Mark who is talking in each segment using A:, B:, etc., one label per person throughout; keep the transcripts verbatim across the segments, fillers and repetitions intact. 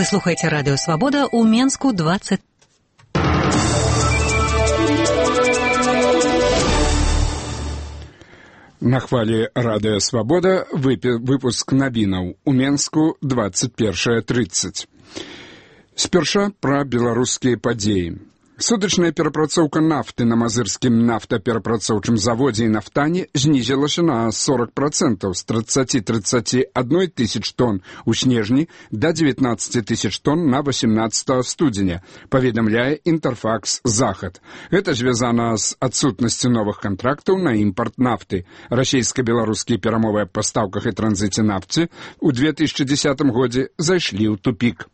A: слухаеце радыё «Свабода» ў Менску двадцать.
B: На хвале радыё «Свабода» выпуск навінаў у Менску двадцать первое тридцать. Спярша пра беларускія падзеі. Судачная перапрацоўка нафты на мазырскім нафтаперапрацоўчым заводзе і нафтане знізілася на сорок процентаў з тридцати тридцати одной тысяч тонн у снежні да девятнадцати тысяч тонн на восемнадцатого студзеня, паведамляе Інтэрфакс Захад. Гэта звязана з адсутнасцю новых кантрактаў на імпарт нафты. Расійска-беларускія перамовы аб пастаўках і транзіце нафты ў две тысячи десятым годзе зайшлі ў тупік.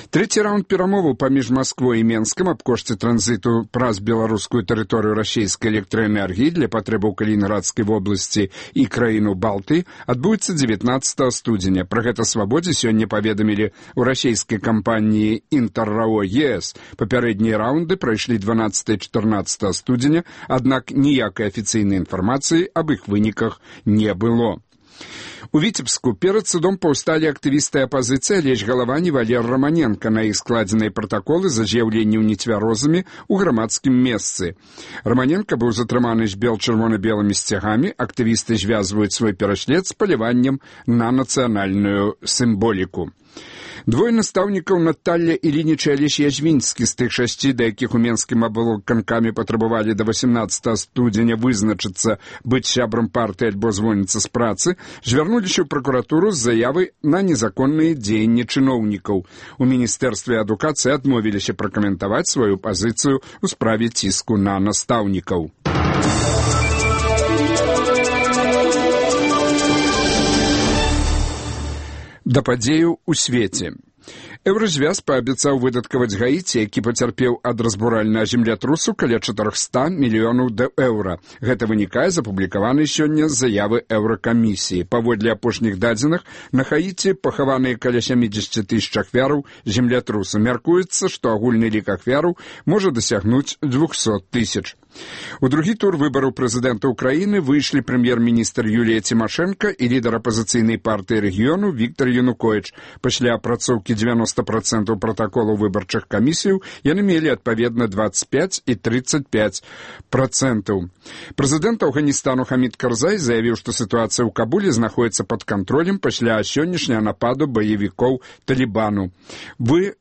B: Трэці раунд перамоваў паміж Масквой і Менскам аб кошце транзіту праз беларускую тэрыторыю расійскай электраэнергіі для патрэбаў Калінінградскай вобласці і краіну Балты адбудзецца дзевятнаццатага студзеня. Пра гэта «Свабодзе» сёння паведамілі ў расійскай кампаніі «Інтэррао ЕС». Папярэднія раунды прайшлі дванаццатага і чатырнаццатага студзеня, аднак ніякай афіцыйнай інфармацыі аб іх выніках не было. У Віцебску перад судом паўсталі актывісты апазіцыі Алесь Галавань і Валер Раманенка. На іх складзеныя пратаколы за з'яўленне нецвярозамі ў грамадскім месцы. Раманенка быў затрыманы з бел-чырвона-белымі сцягамі. Актывісты звязваюць свой пераслед з паляваннем на нацыянальную сімволіку. Двое настаўнікаў Наталля Ілініч і Алесь Язвінскі з тых шасці, да якіх у Менскім аблкамкаме патрабавалі да восемнадцатага студзеня вызначыцца быць сябрам партыі альбо звольніцца з працы, звярнуліся ў пракуратуру з заявай на незаконныя дзеянні чыноўнікаў. У Міністэрстве адукацыі адмовіліся пракаментаваць сваю пазіцыю ў справе ціску на настаўнікаў. Да падзеяў у свеце. Еўразвяз паабяцаў выдаткаваць Гаіці, які пацярпеў ад разбуральнага землятрусу, каля чатырохсот мільёнаў еўра. Гэта вынікае з апублікаванай сёння заявы Еўракамісіі. Паводле апошніх дадзеных, на Хаіці пахаваныя каля сямідзесят тысяч ахвяраў землятрусу. Мяркуецца, што агульны лік ахвяраў можа дасягнуць двухсот тысяч. У другі тур выбараў прэзідэнта ўкраіны выйшлі прэм'ер-міністр Юлія Цімашэнка і лідар апазіцыйнай партыі рэгіёну Віктар Януковіч. Пасля апрацоўкі девяносто процентов пратаколаў выбарчых камісіяў яны мелі адпаведна двадцать пять і тридцать пять процентов. Прэзідэнт Афганістану Хамід Карзай заявіў, што сітуацыя ў Кабуле знаходзіцца пад кантролем пасля сённяшняга нападу баевікоў Талібану. Вы